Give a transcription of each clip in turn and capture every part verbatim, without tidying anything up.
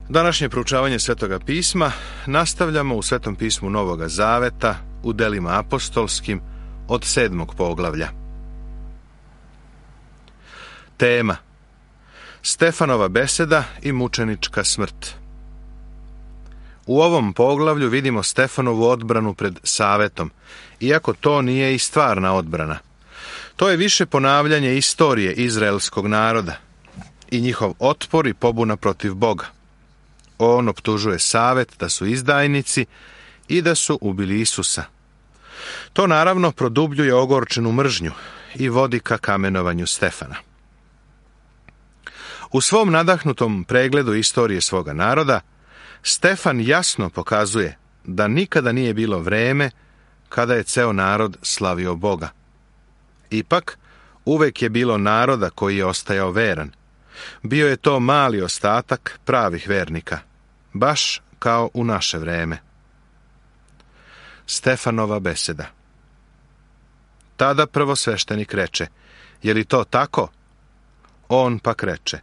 Današnje proučavanje Svetoga pisma nastavljamo u Svetom pismu Novoga Zaveta u delima apostolskim od sedmog poglavlja. Tema: Stefanova beseda i mučenička smrt. U ovom poglavlju vidimo Stefanovu odbranu pred Savetom, iako to nije i stvarna odbrana. To je više ponavljanje istorije izraelskog naroda i njihov otpor i pobuna protiv Boga. On optužuje Savet da su izdajnici i da su ubili Isusa. To naravno produbljuje ogorčenu mržnju i vodi ka kamenovanju Stefana. U svom nadahnutom pregledu istorije svoga naroda, Stefan jasno pokazuje da nikada nije bilo vreme kada je ceo narod slavio Boga. Ipak, uvek je bilo naroda koji je ostajao veran. Bio je to mali ostatak pravih vernika, baš kao u naše vreme. Stefanova beseda. Tada prvosveštenik reče: je li to tako? On pak reče: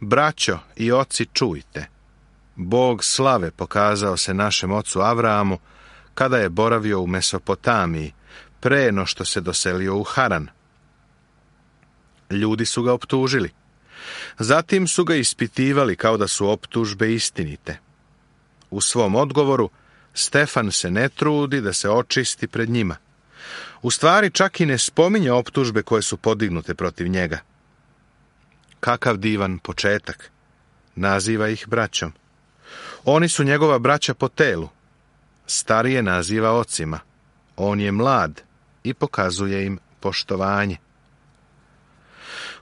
braćo i oci, čujte. Bog slave pokazao se našem ocu Avrahamu kada je boravio u Mesopotamiji, pre no što se doselio u Haran. Ljudi su ga optužili. Zatim su ga ispitivali kao da su optužbe istinite. U svom odgovoru Stefan se ne trudi da se očisti pred njima. U stvari čak i ne spominje optužbe koje su podignute protiv njega. Kakav divan početak. Naziva ih braćom. Oni su njegova braća po telu. Starije naziva ocima. On je mlad i pokazuje im poštovanje.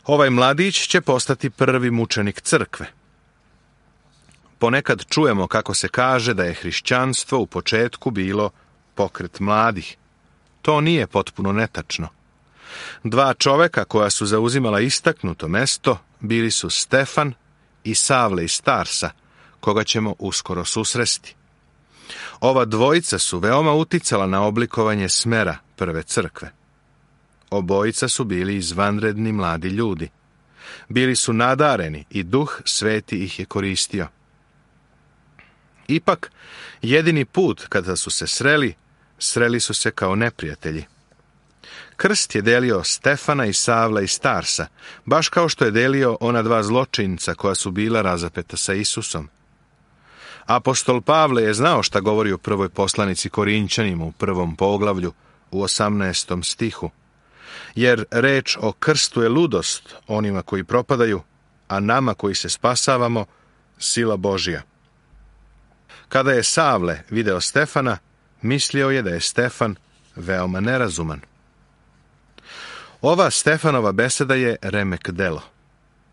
Ovaj mladić će postati prvi mučenik crkve. Ponekad čujemo kako se kaže da je hrišćanstvo u početku bilo pokret mladih. To nije potpuno netačno. Dva čoveka koja su zauzimala istaknuto mesto bili su Stefan i Savle iz Tarsa, koga ćemo uskoro susresti. Ova dvojica su veoma uticala na oblikovanje smera prve crkve. Obojica su bili izvanredni mladi ljudi. Bili su nadareni i Duh Sveti ih je koristio. Ipak, jedini put kada su se sreli, sreli su se kao neprijatelji. Krst je delio Stefana i Savla iz Tarsa, baš kao što je delio ona dva zločinca koja su bila razapeta sa Isusom. Apostol Pavle je znao šta govori u prvoj poslanici Korinćanima u prvom poglavlju u osamnaestom stihu. Jer reč o krstu je ludost onima koji propadaju, a nama koji se spasavamo, sila Božja. Kada je Savle video Stefana, mislio je da je Stefan veoma nerazuman. Ova Stefanova beseda je remek delo.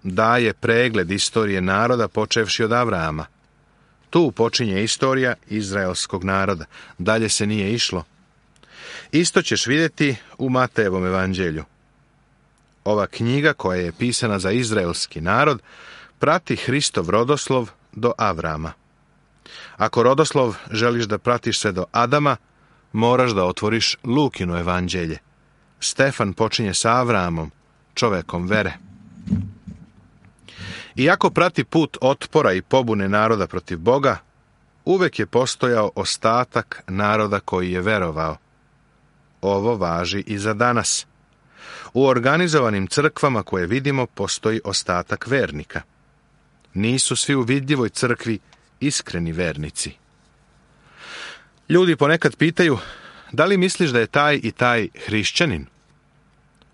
Daje pregled istorije naroda počevši od Avrahama. Tu počinje istorija izraelskog naroda. Dalje se nije išlo. Isto ćeš vidjeti u Matejevom evanđelju. Ova knjiga, koja je pisana za izraelski narod, prati Hristov rodoslov do Avrama. Ako rodoslov želiš da pratiš sve do Adama, moraš da otvoriš Lukino evanđelje. Stefan počinje sa Avramom, čovekom vere. Iako prati put otpora i pobune naroda protiv Boga, uvek je postojao ostatak naroda koji je verovao. Ovo važi i za danas. U organizovanim crkvama koje vidimo postoji ostatak vernika. Nisu svi u vidljivoj crkvi iskreni vernici. Ljudi ponekad pitaju: da li misliš da je taj i taj hrišćanin?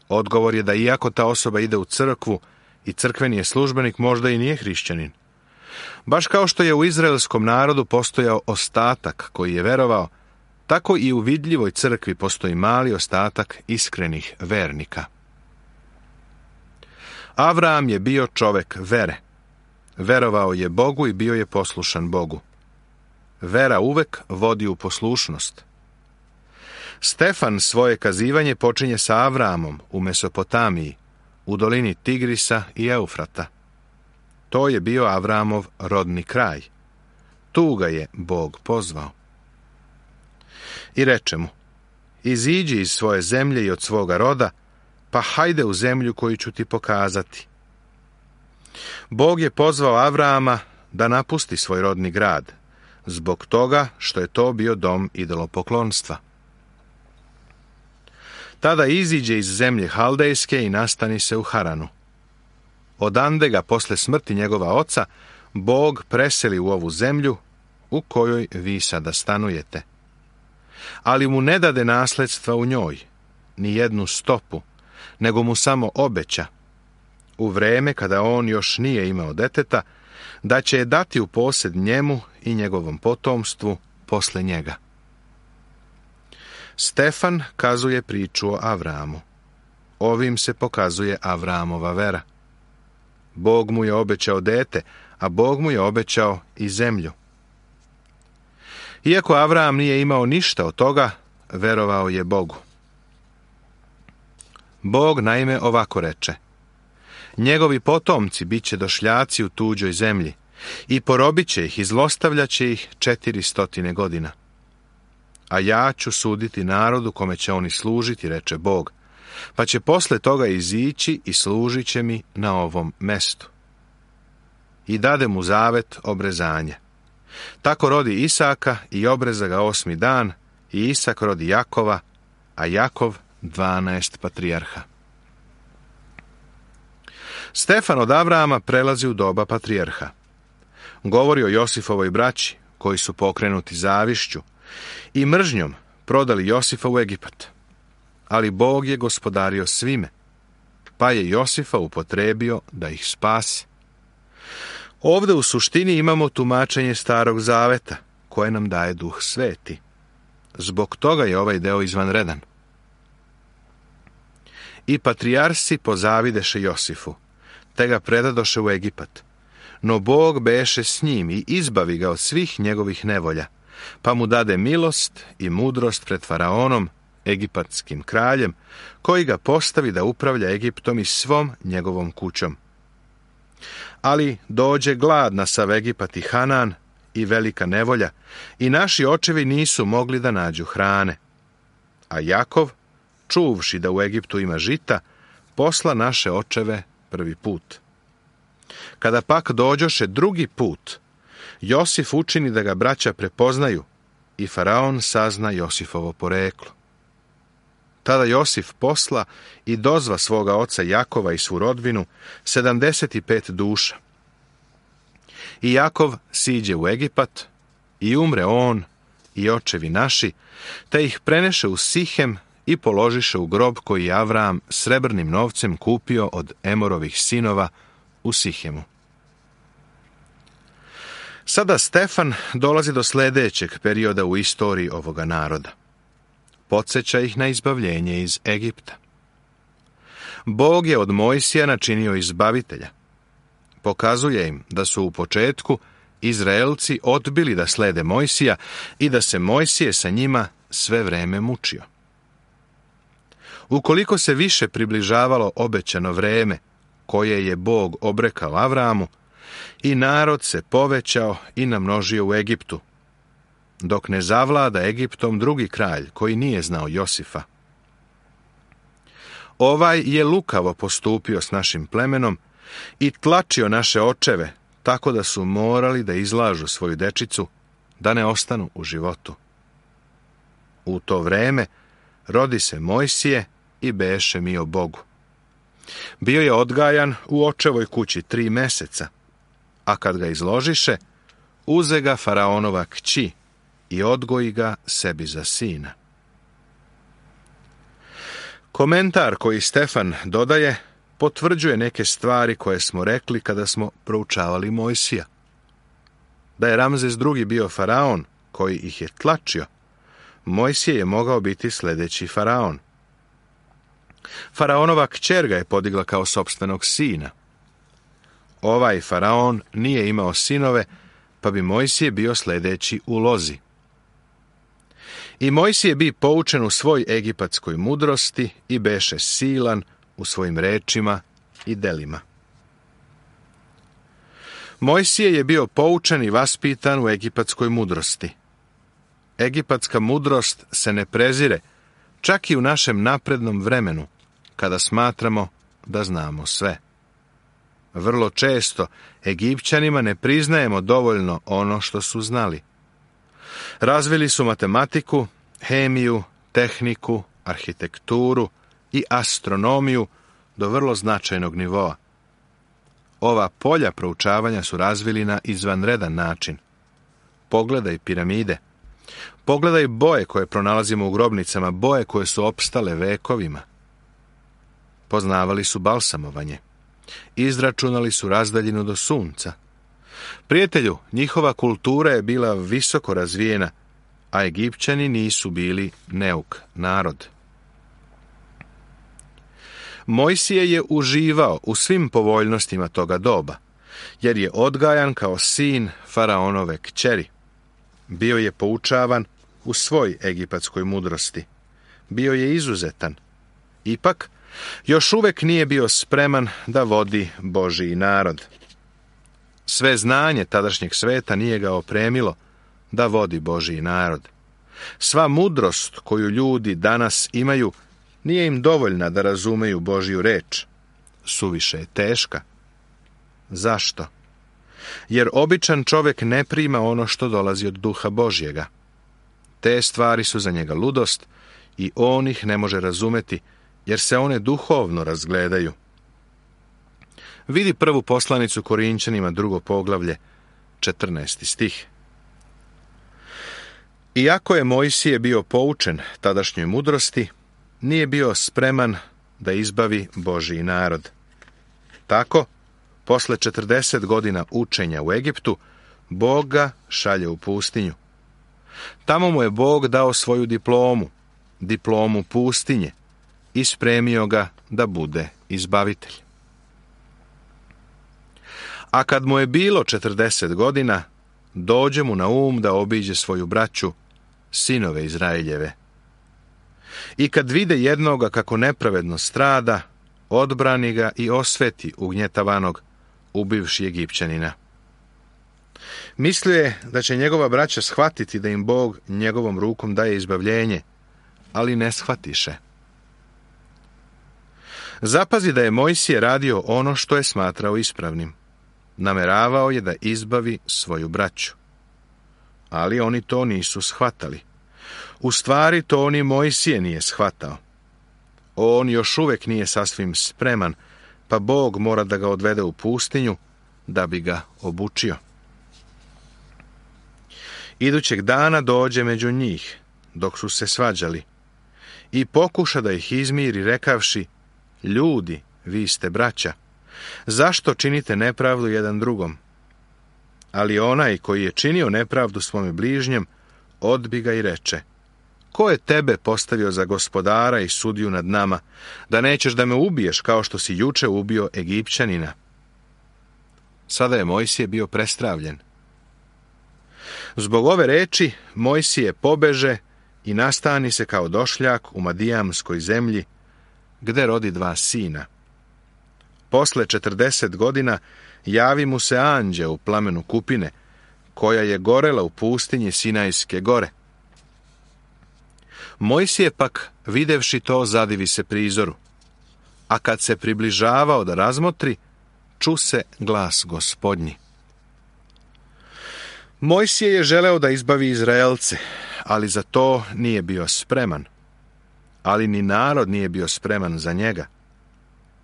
Odgovor je da iako ta osoba ide u crkvu i crkveni je službenik, možda i nije hrišćanin. Baš kao što je u izraelskom narodu postojao ostatak koji je verovao, tako i u vidljivoj crkvi postoji mali ostatak iskrenih vernika. Avraham je bio čovek vere. Verovao je Bogu i bio je poslušan Bogu. Vera uvek vodi u poslušnost. Stefan svoje kazivanje počinje sa Avrahamom u Mesopotamiji, u dolini Tigrisa i Eufrata. To je bio Avrahamov rodni kraj. Tu ga je Bog pozvao. I reče mu: iziđi iz svoje zemlje i od svoga roda, pa hajde u zemlju koju ću ti pokazati. Bog je pozvao Avrahama da napusti svoj rodni grad, zbog toga što je to bio dom idolopoklonstva. Tada iziđe iz zemlje Haldejske i nastani se u Haranu. Odande ga posle smrti njegova oca Bog preseli u ovu zemlju u kojoj vi sada stanujete. Ali mu ne dade nasledstva u njoj, ni jednu stopu, nego mu samo obeća, u vreme kada on još nije imao deteta, da će je dati u posed njemu i njegovom potomstvu posle njega. Stefan kazuje priču o Avramu. Ovim se pokazuje Avramova vera. Bog mu je obećao dete, a Bog mu je obećao i zemlju. Iako Avram nije imao ništa od toga, verovao je Bogu. Bog naime ovako reče: njegovi potomci bit će došljaci u tuđoj zemlji i porobit će ih i zlostavljaće ih četiri stotine godina. A ja ću suditi narodu kome će oni služiti, reče Bog, pa će posle toga izići i služit će mi na ovom mestu. I dade mu zavet obrezanja. Tako rodi Isaka i obreza ga osmi dan, i Isak rodi Jakova, a Jakov dvanaest patrijarha. Stefan od Avrama prelazi u doba patrijarha. Govori o Josifovoj braći, koji su pokrenuti zavišću i mržnjom prodali Josifa u Egipat. Ali Bog je gospodario svime, pa je Josifa upotrebio da ih spasi. Ovde u suštini imamo tumačenje Starog zaveta, koje nam daje Duh Sveti. Zbog toga je ovaj deo izvanredan. I patrijarsi pozavideše Josifu, te ga predadoše u Egipat. No Bog beše s njim i izbavi ga od svih njegovih nevolja, pa mu dade milost i mudrost pred faraonom, egipatskim kraljem, koji ga postavi da upravlja Egiptom i svom njegovom kućom. Ali dođe glad na sav Egipat i Hanan i velika nevolja, i naši očevi nisu mogli da nađu hrane. A Jakov, čuvši da u Egiptu ima žita, posla naše očeve prvi put. Kada pak dođoše drugi put, Josif učini da ga braća prepoznaju i faraon sazna Josifovo poreklo. Tada Josif posla i dozva svoga oca Jakova i svu rodbinu, sedamdeset pet duša. I Jakov siđe u Egipat i umre on i očevi naši, te ih preneše u Sihem i položiše u grob koji je Avram srebrnim novcem kupio od Emorovih sinova u Sihemu. Sada Stefan dolazi do sljedećeg perioda u istoriji ovoga naroda. Podsjeća ih na izbavljenje iz Egipta. Bog je od Mojsija načinio izbavitelja. Pokazuje im da su u početku Izraelci odbili da slede Mojsija i da se Mojsije sa njima sve vreme mučio. Ukoliko se više približavalo obećano vreme koje je Bog obrekao Avramu, i narod se povećao i namnožio u Egiptu, dok ne zavlada Egiptom drugi kralj koji nije znao Josifa. Ovaj je lukavo postupio s našim plemenom i tlačio naše očeve, tako da su morali da izlažu svoju dečicu, da ne ostanu u životu. U to vreme rodi se Mojsije i beše mio Bogu. Bio je odgajan u očevoj kući tri meseca, a kad ga izložiše, uze ga faraonova kći i odgoji ga sebi za sina. Komentar koji Stefan dodaje potvrđuje neke stvari koje smo rekli kada smo proučavali Mojsija. Da je Ramzes drugi bio faraon koji ih je tlačio, Mojsije je mogao biti sljedeći faraon. Faraonova kćer ga je podigla kao sopstvenog sina. Ovaj faraon nije imao sinove, pa bi Mojsije bio sljedeći u lozi. I Mojsije bi poučen u svoj egipatskoj mudrosti i beše silan u svojim rečima i delima. Mojsije je bio poučen i vaspitan u egipatskoj mudrosti. Egipatska mudrost se ne prezire, čak i u našem naprednom vremenu, kada smatramo da znamo sve. Vrlo često Egipćanima ne priznajemo dovoljno ono što su znali. Razvili su matematiku, hemiju, tehniku, arhitekturu i astronomiju do vrlo značajnog nivoa. Ova polja proučavanja su razvili na izvanredan način. Pogledaj piramide. Pogledaj boje koje pronalazimo u grobnicama, boje koje su opstale vekovima. Poznavali su balsamovanje. Izračunali su razdaljinu do sunca. Prijatelju, njihova kultura je bila visoko razvijena, a Egipćani nisu bili neuk narod. Mojsije je uživao u svim povoljnostima toga doba, jer je odgajan kao sin faraonove kćeri. Bio je poučavan u svoj egipatskoj mudrosti. Bio je izuzetan. Ipak, još uvek nije bio spreman da vodi Božji narod. Sve znanje tadašnjeg sveta nije ga opremilo da vodi Božji narod. Sva mudrost koju ljudi danas imaju nije im dovoljna da razumeju Božju reč. Suviše je teška. Zašto? Jer običan čovjek ne prima ono što dolazi od duha Božjega. Te stvari su za njega ludost i on ih ne može razumeti, jer se one duhovno razgledaju. Vidi prvu poslanicu Korinćanima, drugo poglavlje, četrnaesti stih. Iako je Mojsije bio poučen tadašnjoj mudrosti, nije bio spreman da izbavi Božji narod. Tako, posle četrdeset godina učenja u Egiptu, Bog ga šalje u pustinju. Tamo mu je Bog dao svoju diplomu, diplomu pustinje, i spremio ga da bude izbavitelj. A kad mu je bilo četrdeset godina, dođe mu na um da obiđe svoju braću, sinove Izraeljeve. I kad vide jednoga kako nepravedno strada, odbrani ga i osveti ugnjetavanog, ubivši Egipćanina. Mislio je da će njegova braća shvatiti da im Bog njegovom rukom daje izbavljenje, ali ne shvatiše. Zapazi da je Mojsije radio ono što je smatrao ispravnim. Nameravao je da izbavi svoju braću. Ali oni to nisu shvatali. U stvari to ni Mojsije nije shvatao. On još uvek nije sasvim spreman, pa Bog mora da ga odvede u pustinju da bi ga obučio. Idućeg dana dođe među njih, dok su se svađali, i pokuša da ih izmiri rekavši: ljudi, vi ste braća, zašto činite nepravdu jedan drugom? Ali onaj koji je činio nepravdu svome bližnjem, odbi ga i reče: ko je tebe postavio za gospodara i sudiju nad nama, da nećeš da me ubiješ kao što si juče ubio Egipćanina? Sada je Mojsije bio prestravljen. Zbog ove reči Mojsije pobeže i nastani se kao došljak u Madijamskoj zemlji, gde rodi dva sina. Posle četrdeset godina javi mu se anđeo u plamenu kupine, koja je gorela u pustinji Sinajske gore. Mojsije pak, videvši to, zadivi se prizoru, a kad se približavao da razmotri, ču se glas Gospodnji. Mojsije je želeo da izbavi Izraelce, ali za to nije bio spreman. Ali ni narod nije bio spreman za njega.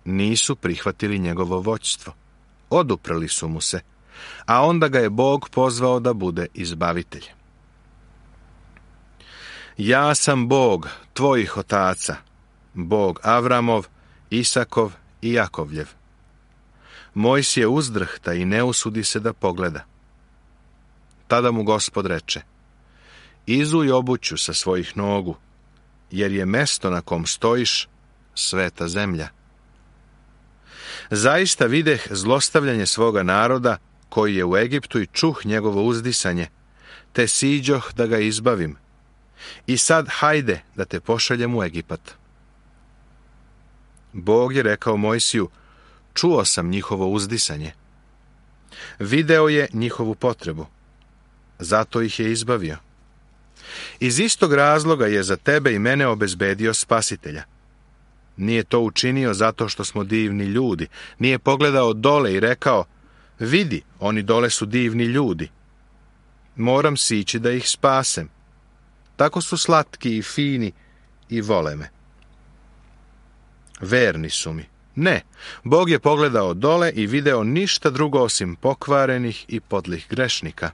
Nisu prihvatili njegovo vođstvo. Oduprli su mu se, a onda ga je Bog pozvao da bude izbavitelj. Ja sam Bog tvojih otaca, Bog Avramov, Isakov i Jakovljev. Mojsije uzdrhta i ne usudi se da pogleda. Tada mu Gospod reče: izuj obuću sa svojih nogu, jer je mesto na kom stojiš sveta zemlja. Zaista videh zlostavljanje svoga naroda koji je u Egiptu i čuh njegovo uzdisanje, te siđoh da ga izbavim. I sad hajde da te pošaljem u Egipat. Bog je rekao Mojsiju: čuo sam njihovo uzdisanje. Video je njihovu potrebu. Zato ih je izbavio. Iz istog razloga je za tebe i mene obezbedio spasitelja. Nije to učinio zato što smo divni ljudi. Nije pogledao dole i rekao, vidi, oni dole su divni ljudi. Moram sići da ih spasem. Tako su slatki i fini i vole me. Verni su mi. Ne, Bog je pogledao dole i video ništa drugo osim pokvarenih i podlih grešnika.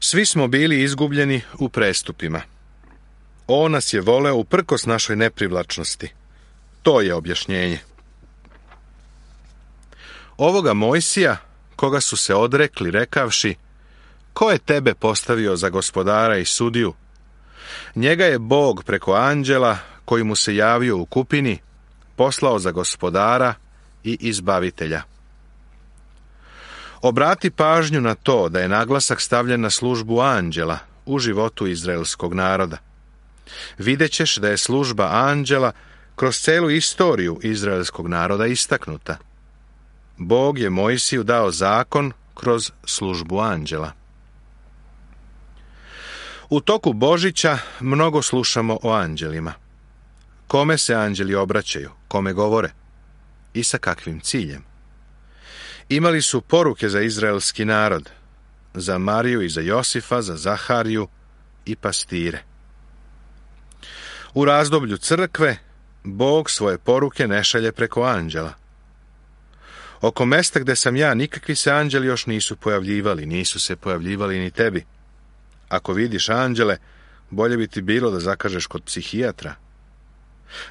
Svi smo bili izgubljeni u prestupima. On nas je voleo uprkos našoj neprivlačnosti. To je objašnjenje. Ovoga Mojsija, koga su se odrekli rekavši, ko je tebe postavio za gospodara i sudiju? Njega je Bog preko anđela, koji mu se javio u kupini, poslao za gospodara i izbavitelja. Obrati pažnju na to da je naglasak stavljen na službu anđela u životu izraelskog naroda. Videćeš da je služba anđela kroz celu istoriju izraelskog naroda istaknuta. Bog je Mojsiju dao zakon kroz službu anđela. U toku Božića mnogo slušamo o anđelima. Kome se anđeli obraćaju, kome govore i sa kakvim ciljem. Imali su poruke za izraelski narod, za Mariju i za Josifa, za Zahariju i pastire. U razdoblju crkve Bog svoje poruke ne šalje preko anđela. Oko mesta gde sam ja nikakvi se anđeli još nisu pojavljivali, nisu se pojavljivali ni tebi. Ako vidiš anđele, bolje bi ti bilo da zakažeš kod psihijatra.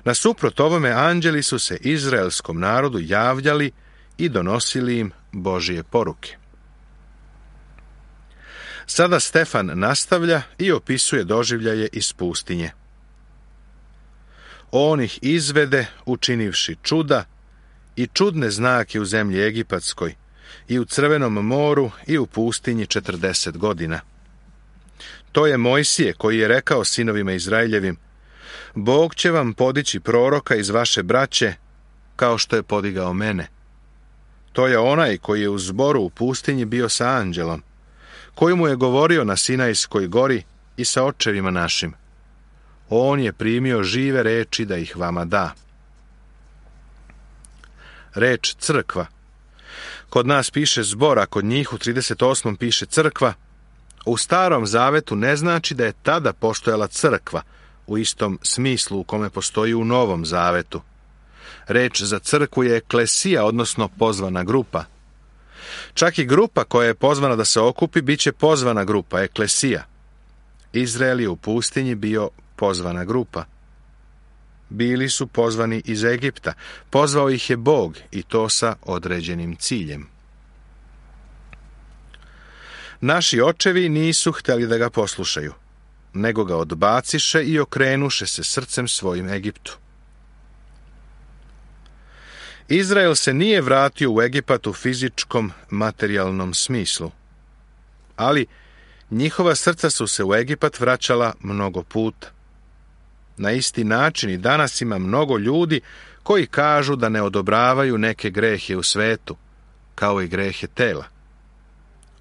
Nasuprot ovome, anđeli su se izraelskom narodu javljali i donosili im Božije poruke. Sada Stefan nastavlja i opisuje doživljaje iz pustinje. On ih izvede, učinivši čuda i čudne znake u zemlji Egipatskoj, i u Crvenom moru, i u pustinji četrdeset godina. To je Mojsije koji je rekao sinovima Izraeljevim, Bog će vam podići proroka iz vaše braće, kao što je podigao mene. To je onaj koji je u zboru u pustinji bio sa anđelom, koji mu je govorio na Sinajskoj gori i sa očevima našim. On je primio žive reči da ih vama da. Reč crkva. Kod nas piše zbor, a kod njih u trideset osmom piše crkva. U Starom zavetu ne znači da je tada postojala crkva, u istom smislu u kome postoji u Novom zavetu. Reč za crkvu je eklesija, odnosno pozvana grupa. Čak i grupa koja je pozvana da se okupi, bit će pozvana grupa, eklesija. Izrael je u pustinji bio pozvana grupa. Bili su pozvani iz Egipta. Pozvao ih je Bog i to sa određenim ciljem. Naši očevi nisu htjeli da ga poslušaju, nego ga odbaciše i okrenuše se srcem svojim Egiptu. Izrael se nije vratio u Egipat u fizičkom, materijalnom smislu, ali njihova srca su se u Egipat vraćala mnogo puta. Na isti način i danas ima mnogo ljudi koji kažu da ne odobravaju neke grehe u svetu, kao i grehe tela.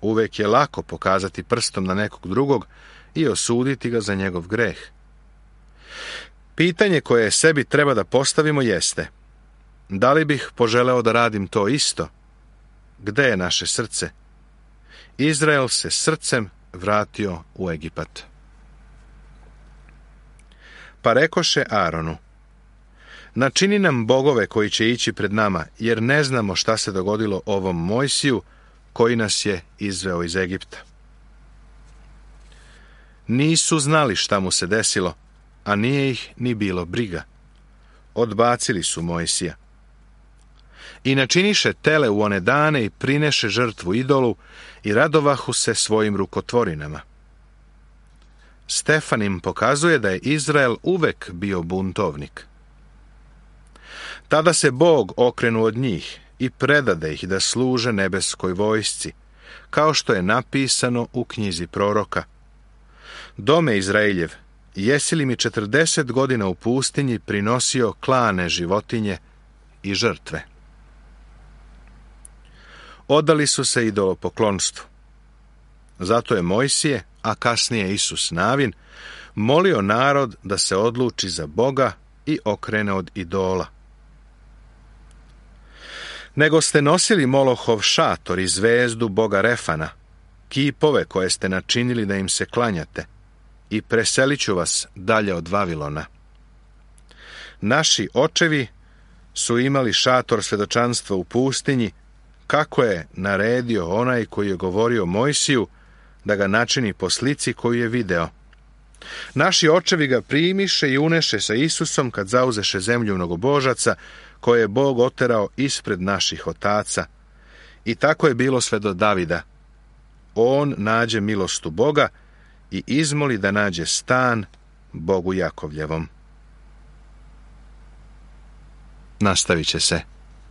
Uvek je lako pokazati prstom na nekog drugog i osuditi ga za njegov greh. Pitanje koje sebi treba da postavimo jeste: da li bih poželeo da radim to isto? Gde je naše srce? Izrael se srcem vratio u Egipat. Pa rekoše Aronu: načini nam bogove koji će ići pred nama, jer ne znamo šta se dogodilo ovom Mojsiju koji nas je izveo iz Egipta. Nisu znali šta mu se desilo, a nije ih ni bilo briga. Odbacili su Mojsija. I načiniše tele u one dane i prineše žrtvu idolu i radovahu se svojim rukotvorinama. Stefan im pokazuje da je Izrael uvek bio buntovnik. Tada se Bog okrenu od njih i predade ih da služe nebeskoj vojsci, kao što je napisano u knjizi proroka: Dome Izraeljev, jesi li mi četrdeset godina u pustinji prinosio klane životinje i žrtve? Odali su se idolopoklonstvu. Zato je Mojsije, a kasnije Isus Navin, molio narod da se odluči za Boga i okrene od idola. Nego ste nosili Molohov šator i zvezdu boga Refana, kipove koje ste načinili da im se klanjate, i preselit ću vas dalje od Vavilona. Naši očevi su imali šator svedočanstva u pustinji, kako je naredio onaj koji je govorio Mojsiju da ga načini po slici koju je video. Naši očevi ga primiše i uneše sa Isusom kad zauzeše zemlju mnogobožaca, koje je Bog oterao ispred naših otaca. I tako je bilo sve do Davida. On nađe milost u Boga i izmoli da nađe stan Bogu Jakovljevom. Nastavit će se.